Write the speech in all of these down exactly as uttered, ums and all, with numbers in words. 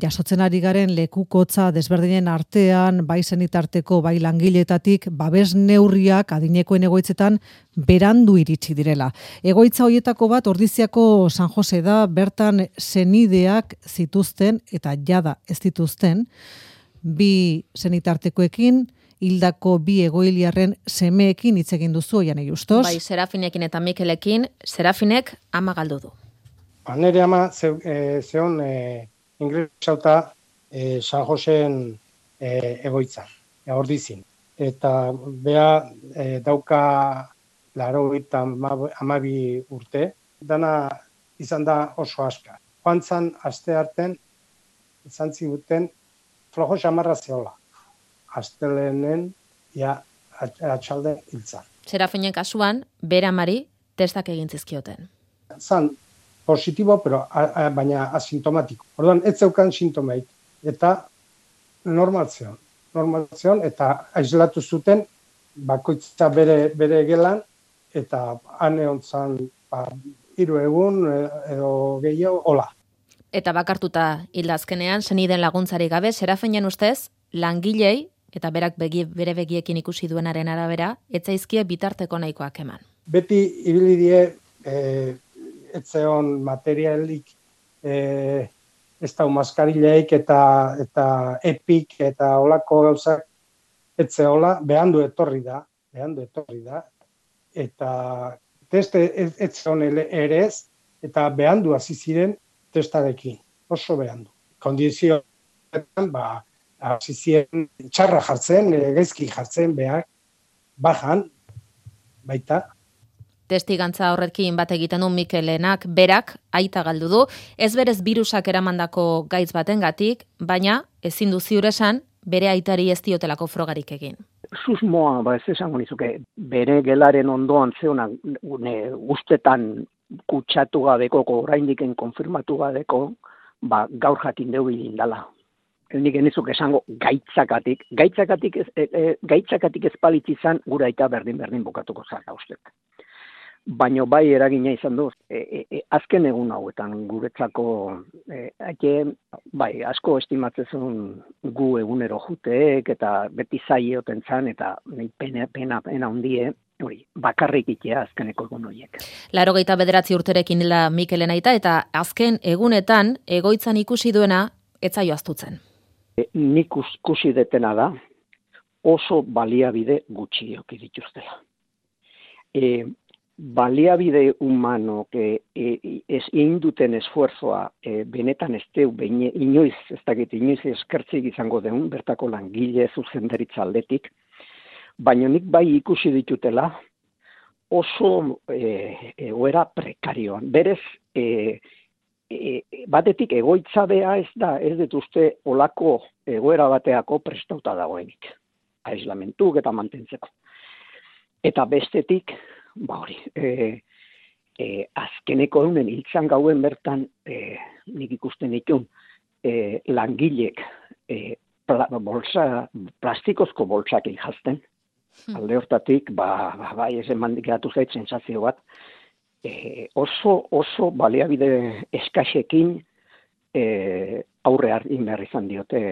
jasotzen ari garen lekukotza desberdinen artean, bai senitarteko, bai langiletatik, babes neurriak adinekoen egoitzetan berandu iritsi direla. Egoitza hoietako bat Ordiziako San Jose da, bertan senideak zituzten eta jada ez dituzten, bi senitartekoekin, hildako bi egoiliarren semeekin hitz egin duzu, Janei Justos. Bai, Serafinekin eta Mikelekin, Serafinek ama galdu du. Ba, nire ama ze, e, zeon e, ingresauta e, San Joseen e, egoitza, e, Ordizin. Eta bea e, dauka laro eta amabi urte, dana izan da oso aska. Joan zan aste arten, izan ziguten flojo xamarra zeola. Astelenen, ja, atxalde hiltzan. Serafinen kasuan, bere amari testak egin zizkioten. Zan positibo, pero a, a, baina asintomatiko. Orduan, ez zeukan sintomeik. Eta normal zeon. Normal zeon, eta aislatu zuten, bakoitza bere, bere gelan, eta han egon zan, ba, hiru egun edo gehiago, hola. Eta bakartuta hildazkenean, seniden laguntzari gabe, Serafinen ustez, langilei, eta berak begi, bere begiekin ikusi duenaren arabera, etzaizkie bitarteko nahikoak eman. Beti ibili die, e, etzeon materialik, e, ez da maskarileik eta, eta epik eta olako gauzak etzeola, behandu etorri da, behandu etorri da, eta teste etzeon ere ez, eta behandu hasi ziren testarekin, oso behandu. Kondizioetan, ba, hasi ziren txarra jartzen, gaizki jartzen behar, bajan, baita. Testigantza horrekin bat egiten du Mikelenak, berak aita galdu du, ez berez birusak eramandako gaitz batengatik, baina ezin du ziur esan bere aitari ez diotelako frogarik egin. Susmoa, ba ez esango nizuke, bere gelaren ondoan zeuna ustetan kutsatu gabeko, oraindiken konfirmatu gabeko, ba gaur jakin deu indala. Nik genizuk esango gaitzakatik, gaitzakatik ez, e, e, gaitzakatik ez palitzizan gura aita berdin-berdin bukatuko zara ustek. Baina bai eragina izan du, e, e, e, azken egun hauetan guretzako, e, ake, bai, asko estimatzezun gu egunero juteek, eta beti zaioten zan, eta pena, pena, pena hundie, hori, bakarrik itea azkeneko egun horiek. Laurogeita bederatzi urterekin hila Mikelen aita, eta azken egunetan egoitzan ikusi duena etzaio aztutzen. Nik ikusi detena da, oso baliabide gutxiok dituztela. E, baliabide humano que e, ez egin duten esfuerzoa e, benetan ez deu, beine, inoiz, ez dakit, inoiz eskertzik izango deun, bertako langile zuzendaritza aldetik, baina nik bai ikusi ditutela oso e, egoera prekarioan. Berez, e, E, batetik egoitza bea ez da, ez dut uste olako egoera bateako prestauta dagoenik. Aislamentuk eta mantentzeko. Eta bestetik, ba hori, e, e, azkeneko eunen hiltzan gauen bertan, e, nik ikusten ditun, e, langilek e, pla, bolsa, plastikozko bolsak jazten. Hmm. Alde hortatik, ba, ba, bai ez eman geratu zait sensazio bat, E, oso oso baliabide eskasekin e, aurre hartin behar izan diote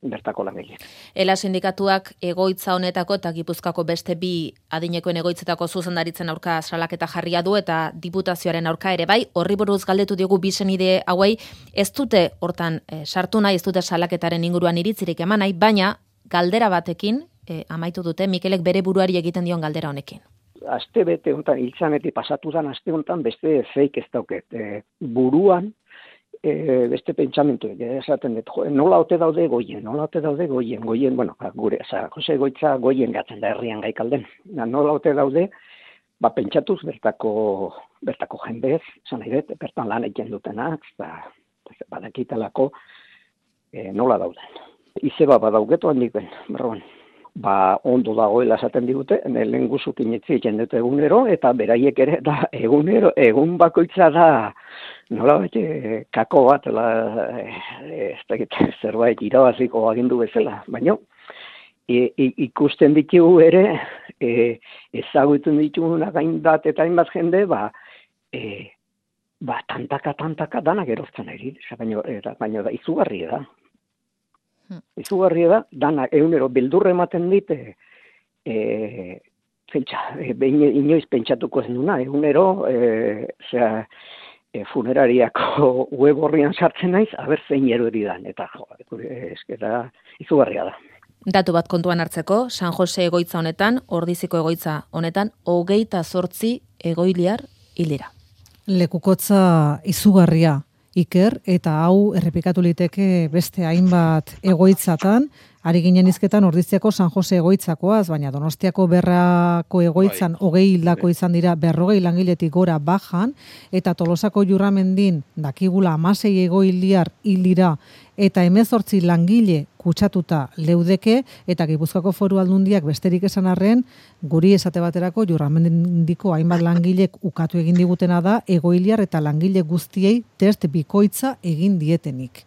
bertako langile. Ela sindikatuak egoitza honetako eta Gipuzkoako beste bi adinekoen egoitzetako zuzendaritzen aurka salaketa jarria du eta diputazioaren aurka ere bai, horri buruz galdetu diogu bi senide hauei, ez dute hortan e, sartu nahi, ez dute salaketaren inguruan iritzirik eman nahi, baina galdera batekin e, amaitu dute Mikelek bere buruari egiten dion galdera honekin. Aste bete honetan, hiltzanetik pasatu dan aste honetan beste feik ez dauket. E, buruan, e, beste pentsamentu, esaten dut, jo, nola ote daude goien, nola ote daude goien, goien, bueno, gure, oza, Jose Goitza goien gatzen da herrian gaikalden. Nola ote daude, ba, pentsatuz bertako, bertako jendez, esan nahi dut, bertan lan egiten dutenak, ba, badakitalako, e, nola dauden. Izeba badaugetu handik ben, berroan. Ba, ondo dagoela esaten digute, lehen guzuk inetzi egiten dute egunero, eta beraiek ere, da, egunero, egun bakoitza da, nola bete, kako bat, la, e, ez dakit, zerbait irabaziko agindu bezala, baina, e, e, ikusten ditugu ere, e, ezagutzen ditugu gain bat eta hainbat jende, ba, e, ba, tantaka, tantaka, danak erortzen ari, baina, baina da, izugarria da. Hmm. Izugarria da, danak egunero beldurre ematen dite, e, pentsa, e, inoiz pentsatuko ez duna, egunero, e, zera, e, funerariako web horrian sartzen naiz, aber zein erori dan, eta jo, eskera, izugarria da. Datu bat kontuan hartzeko, San Jose egoitza honetan, Ordiziko egoitza honetan, hogeita zortzi egoiliar hildira. Lekukotza izugarria, Iker, eta hau errepikatu liteke beste hainbat egoitzatan, ari ginen izketan Ordiziako San Jose egoitzakoaz, baina Donostiako Berrako egoitzan hogei hildako izan dira berrogei langiletik gora bajan, eta Tolosako Jurramendin dakigula hamasei egoiliar hildira, eta hemezortzi langile kutsatuta leudeke, eta Gipuzkoako Foru Aldundiak besterik esan arren, guri esate baterako Jurramendiko hainbat langilek ukatu egin digutena da, egoiliar eta langile guztiei test bikoitza egin dietenik.